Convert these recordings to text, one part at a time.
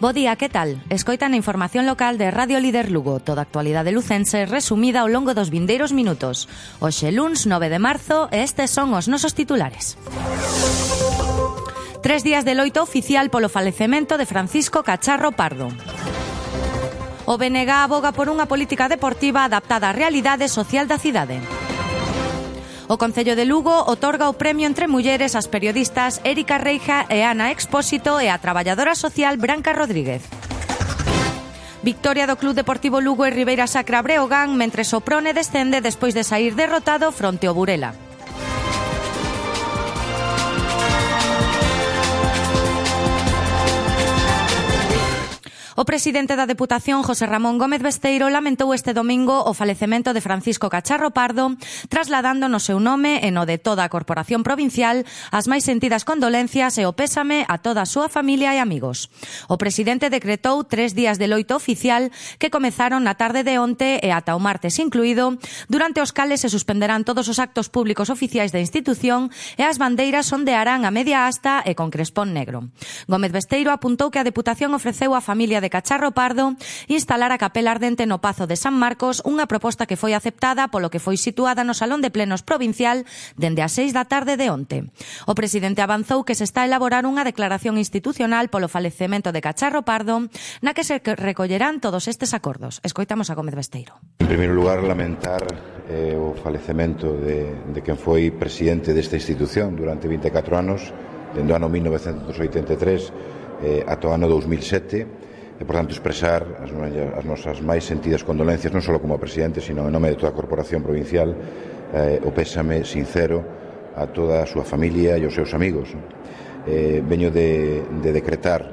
Bo día, que tal? Escoitan a información local de Radio Líder Lugo, toda a actualidade lucense resumida ao longo dos vindeiros minutos. Hoxe luns 9 de marzo e estes son os nosos titulares. 3 días de loito oficial polo falecemento de Francisco Cacharro Pardo. O BNG aboga por unha política deportiva adaptada á realidade social da cidade. O Concello de Lugo otorga o premio entre mulleres ás periodistas Érica Reija e Ana Expósito e a traballadora social Branca Rodríguez. Victoria do Club Deportivo Lugo e Ribeira Sacra Breogán mentres o Prone descende despois de saír derrotado fronte ao Burela. O presidente da Deputación, José Ramón Gómez Besteiro, lamentou este domingo o falecemento de Francisco Cacharro Pardo, trasladando no seu nome e no de toda a Corporación Provincial as máis sentidas condolencias e o pésame a toda a súa familia e amigos. O presidente decretou 3 días de loito oficial que comezaron na tarde de onte e ata o martes incluído, durante os cales se suspenderán todos os actos públicos oficiais da institución e as bandeiras ondearán a media asta e con crespón negro. Gómez Besteiro apuntou que a Deputación ofreceu á familia de Cacharro Pardo instalar a capela ardente no Pazo de San Marcos, unha proposta que foi aceptada polo que foi situada no Salón de Plenos Provincial dende as 6 da tarde de onte. O presidente avanzou que se está a elaborar unha declaración institucional polo falecemento de Cacharro Pardo na que se recollerán todos estes acordos. Escoitamos a Gómez Besteiro. En primeiro lugar, lamentar o falecemento de quen foi presidente desta institución durante 24 anos, dende o ano 1983 ata o ano 2007, e, por tanto, expresar as nosas máis sentidas condolencias, non só como presidente, sino en nome de toda a Corporación Provincial, o pésame sincero a toda a súa familia e aos seus amigos. Veño de decretar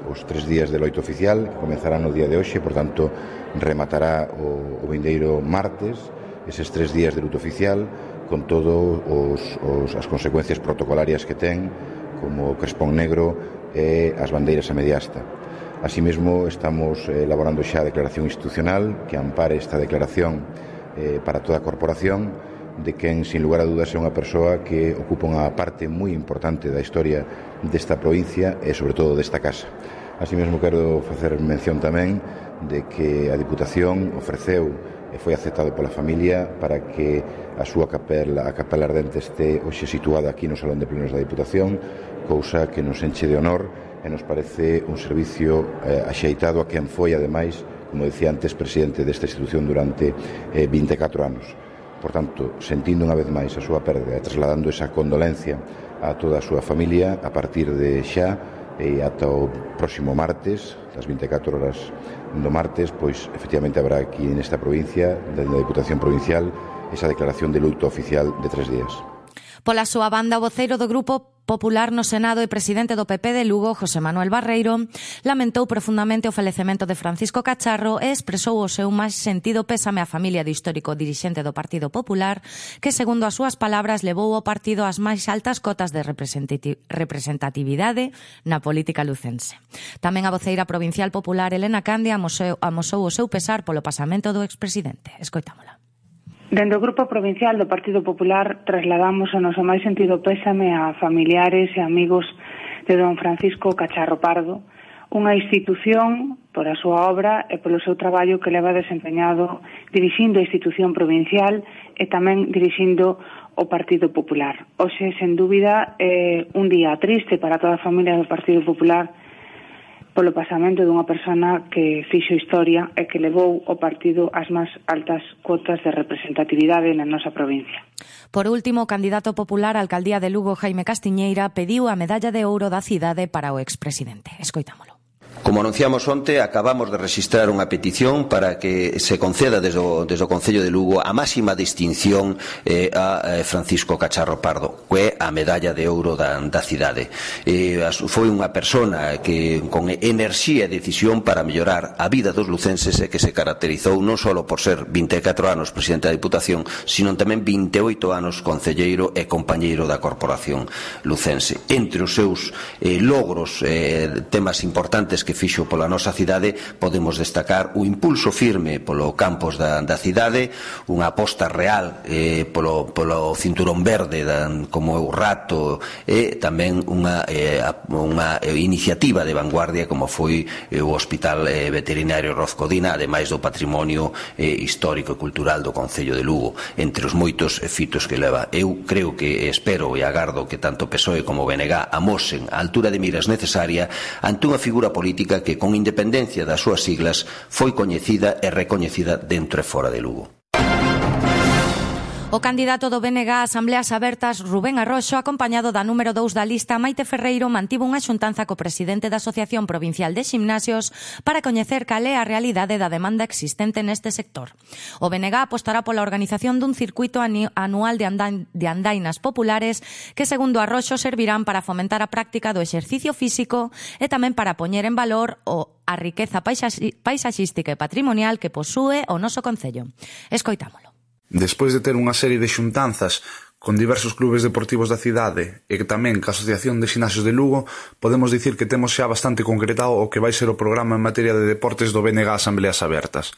os 3 días de loito oficial, que comenzarán no día de hoxe, por tanto, rematará o vindeiro martes, eses 3 días de luto oficial, con todas as consecuencias protocolarias que ten, como o crespón negro e as bandeiras a media asta. Así mesmo, estamos elaborando xa a declaración institucional que ampare esta declaración para toda a corporación, de quen, sin lugar a dudas, é unha persoa que ocupa unha parte moi importante da historia desta provincia e, sobre todo, desta casa. Así mesmo, quero facer mención tamén de que a Diputación ofreceu e foi aceptado pola familia para que a súa capela ardente este hoxe situada aquí no Salón de Plenos da Diputación, cousa que nos enche de honor e nos parece un servicio axeitado a quen foi, ademais, como decía antes, presidente desta institución durante 24 anos. Por tanto, sentindo unha vez máis a súa perda e trasladando esa condolencia a toda a súa familia, a partir de xa e ata o próximo martes, das 24 horas do martes, pois efectivamente habrá aquí nesta provincia, dentro da Diputación Provincial, esa declaración de luto oficial de 3 días. Pola súa banda, o voceiro do Grupo Popular no Senado e presidente do PP de Lugo, José Manuel Barreiro, lamentou profundamente o falecemento de Francisco Cacharro e expresou o seu máis sentido pésame á familia do histórico dirixente do Partido Popular, que, segundo as súas palabras, levou o partido ás máis altas cotas de representatividade na política lucense. Tamén a voceira provincial popular Elena Candia amosou o seu pesar polo pasamento do expresidente. Escoitámola. Dende o Grupo Provincial do Partido Popular trasladamos o noso máis sentido pésame a familiares e amigos de don Francisco Cacharro Pardo, unha institución por a súa obra e polo seu traballo que leva desempeñado dirixindo a institución provincial e tamén dirixindo o Partido Popular. Hoxe, sen dúbida, é un día triste para toda a familia do Partido Popular polo pasamento dunha persona que fixo historia e que levou o partido ás máis altas cotas de representatividade na nosa provincia. Por último, o candidato popular á alcaldía de Lugo, Jaime Castiñeira, pediu a medalla de ouro da cidade para o expresidente. Escoitámolo. Como anunciamos onte, acabamos de rexistrar unha petición para que se conceda desde o Concello de Lugo a máxima distinción a Francisco Cacharro Pardo, que é a medalla de ouro da cidade. Foi unha persona que con enerxía e decisión para mellorar a vida dos lucenses e que se caracterizou non só por ser 24 anos presidente da Diputación, sino tamén 28 anos concelleiro e compañeiro da Corporación Lucense. Entre os seus logros, temas importantes que fixo pola nosa cidade, podemos destacar o impulso firme polo campus da cidade, unha aposta real polo cinturón verde como o Rato, e tamén unha iniciativa de vanguardia como foi o Hospital Veterinario Rozcodina, ademais do patrimonio histórico e cultural do Concello de Lugo, entre os moitos fitos que leva. Eu creo que espero e agardo que tanto PSOE como BNG amosen a altura de miras necesaria ante unha figura política que, con independencia das súas siglas, foi coñecida e recoñecida dentro e fora de Lugo. O candidato do BNG a Asambleas Abertas, Rubén Arroxo, acompañado da número 2 da lista, Maite Ferreiro, mantivo unha xuntanza co presidente da Asociación Provincial de Ximnasios para coñecer cal é a realidade da demanda existente neste sector. O BNG apostará pola organización dun circuito anual de andainas populares que, segundo Arroxo, servirán para fomentar a práctica do exercicio físico e tamén para poñer en valor a riqueza paisaxística e patrimonial que posúe o noso concello. Escoitámolo. Despois de ter unha serie de xuntanzas con diversos clubes deportivos da cidade e que tamén ca Asociación de Ximnasios de Lugo, podemos dicir que temos xa bastante concretado o que vai ser o programa en materia de deportes do BNG Asambleas Abertas.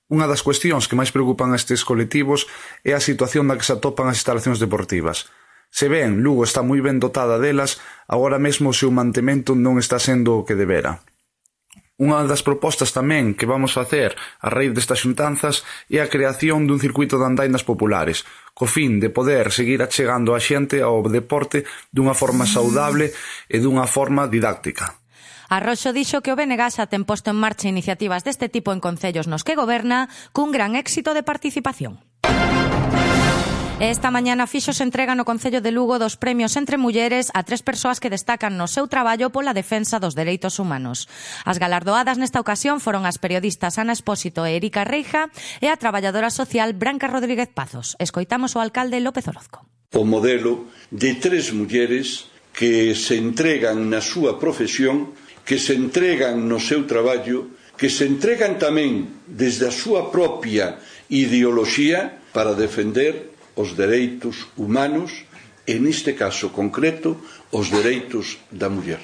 Unha das cuestións que máis preocupan a estes colectivos é a situación na que se atopan as instalacións deportivas. Se ben, Lugo está moi ben dotada delas, agora mesmo o seu mantemento non está sendo o que debera. Unha das propostas tamén que vamos facer a raíz destas xuntanzas é a creación dun circuito de andainas populares, co fin de poder seguir achegando a xente ao deporte dunha forma saudable e dunha forma didáctica. Arroxo dixo que o BNG xa ten posto en marcha iniciativas deste tipo en concellos nos que goberna, cun gran éxito de participación. Esta mañana fixose entrega no Concello de Lugo dos premios Entre Mulleres a 3 persoas que destacan no seu traballo pola defensa dos dereitos humanos. As galardoadas nesta ocasión foron as periodistas Ana Espósito e Erika Reija e a traballadora social Branca Rodríguez Pazos. Escoitamos o alcalde López Orozco. O modelo de 3 mulleres que se entregan na súa profesión, que se entregan no seu traballo, que se entregan tamén desde a súa propia ideoloxía para defender os dereitos humanos e, neste caso concreto, os dereitos da muller.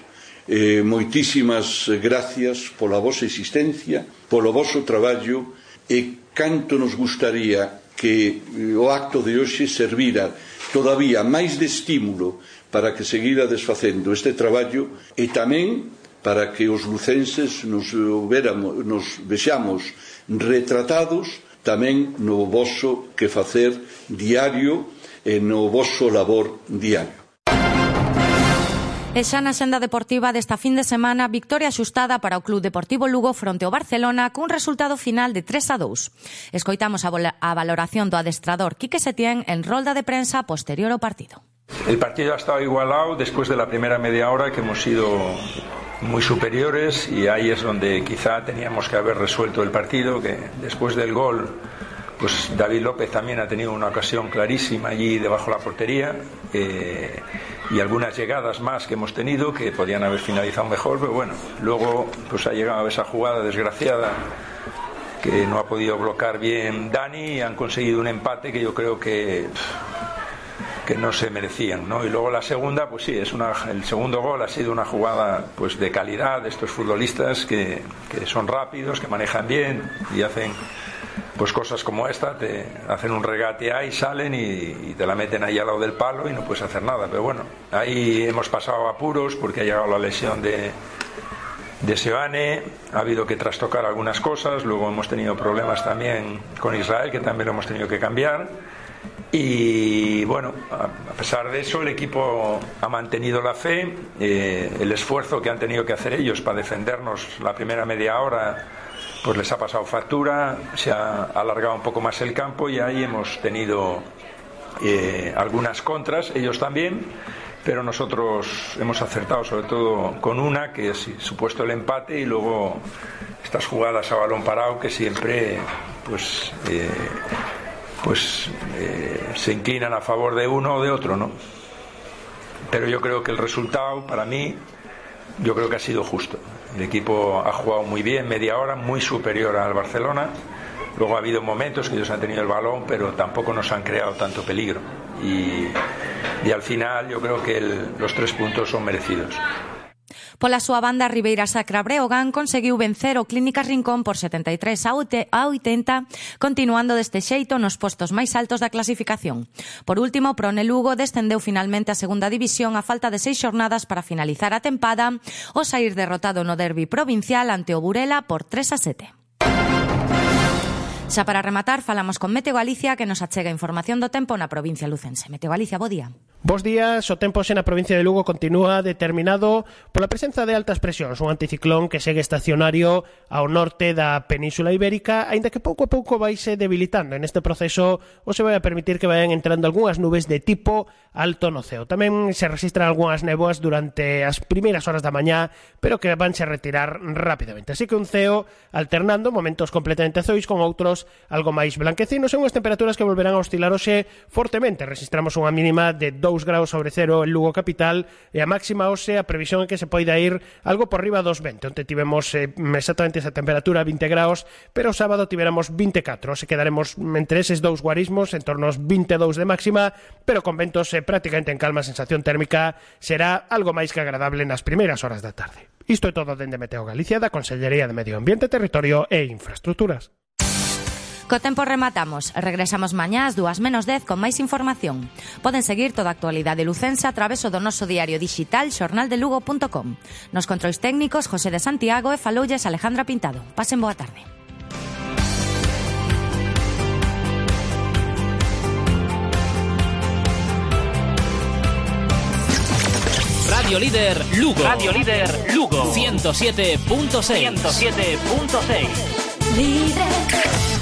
Moitísimas gracias pola vosa existencia, polo voso traballo, e canto nos gustaría que o acto de hoxe servira todavía máis de estímulo para que seguirades facendo este traballo e tamén para que os lucenses nos vexamos retratados tamén no voso que facer diario e no voso labor diario. E xa na xenda deportiva desta fin de semana, victoria axustada para o Club Deportivo Lugo fronte ao Barcelona cun resultado final de 3-2. Escoitamos a valoración do adestrador Quique Setién en rolda de prensa posterior ao partido. El partido ha estado igualado después de la primera media hora, que hemos sido muy superiores, y ahí es donde quizá teníamos que haber resuelto el partido, que después del gol pues David López también ha tenido una ocasión clarísima allí debajo de la portería, y algunas llegadas más que hemos tenido que podían haber finalizado mejor, pero bueno, luego pues ha llegado esa jugada desgraciada que no ha podido bloquear bien Dani, y han conseguido un empate que yo creo que no se merecían, ¿no? Y luego la segunda, pues sí, el segundo gol ha sido una jugada pues de calidad de estos futbolistas que son rápidos, que manejan bien y hacen pues cosas como esta, te hacen un regate ahí, salen y te la meten ahí al lado del palo y no puedes hacer nada. Pero bueno, ahí hemos pasado apuros porque ha llegado la lesión de Seoane, ha habido que trastocar algunas cosas, luego hemos tenido problemas también con Israel, que también lo hemos tenido que cambiar. Y bueno, a pesar de eso el equipo ha mantenido la fe, el esfuerzo que han tenido que hacer ellos para defendernos la primera media hora pues les ha pasado factura, se ha alargado un poco más el campo y ahí hemos tenido algunas contras, ellos también, pero nosotros hemos acertado sobre todo con una que es supuesto el empate, y luego estas jugadas a balón parado que siempre se inclinan a favor de uno o de otro, ¿no? Pero yo creo que el resultado, para mí, yo creo que ha sido justo. El equipo ha jugado muy bien, media hora, muy superior al Barcelona. Luego ha habido momentos que ellos han tenido el balón, pero tampoco nos han creado tanto peligro. Y al final yo creo que los 3 puntos son merecidos. Pola súa banda, Ribeira Sacra Breogán conseguiu vencer o Clínicas Rincón por 73-80, continuando deste xeito nos postos máis altos da clasificación. Por último, Prone Lugo descendeu finalmente a segunda división a falta de 6 xornadas para finalizar a tempada, ao saír derrotado no derbi provincial ante o Burela por 3-7. Xa para rematar, falamos con Meteo Galicia, que nos achega información do tempo na provincia lucense. Meteo Galicia, bo día. Bos días, o tempo xe na provincia de Lugo continúa determinado pola presenza de altas presións, un anticiclón que segue estacionario ao norte da Península Ibérica, aínda que pouco a pouco vai se debilitando. En este proceso o se vai a permitir que vayan entrando algunhas nubes de tipo alto no ceo. Tamén se registran algunhas néboas durante as primeiras horas da mañá, pero que vanse a retirar rapidamente. Así que un ceo alternando momentos completamente azuis con outros algo máis blanquecinos e unhas temperaturas que volverán a oscilar hoxe fortemente. Registramos unha mínima de 2 graus sobre cero en Lugo capital e a máxima hoxe a previsión é que se poida ir algo por riba dos 20. Onte tivemos exactamente esa temperatura 20 graus, pero o sábado tivéramos 24. Hoxe quedaremos entre eses dous guarismos, en torno aos 22 de máxima, pero con ventos prácticamente en calma. A sensación térmica será algo máis que agradable nas primeiras horas da tarde. Isto é todo dende Meteo Galicia, da Consellería de Medio Ambiente, Territorio e Infraestructuras. Co tempo rematamos. Regresamos mañá ás 2:10 con máis información. Poden seguir toda a actualidade lucense a través do noso diario digital xornaldelugo.com. Nos controis técnicos José de Santiago e faloulles Alejandra Pintado. Pasen boa tarde. Radio Líder Lugo. Radio Líder Lugo. 107.6. 107.6. Líder.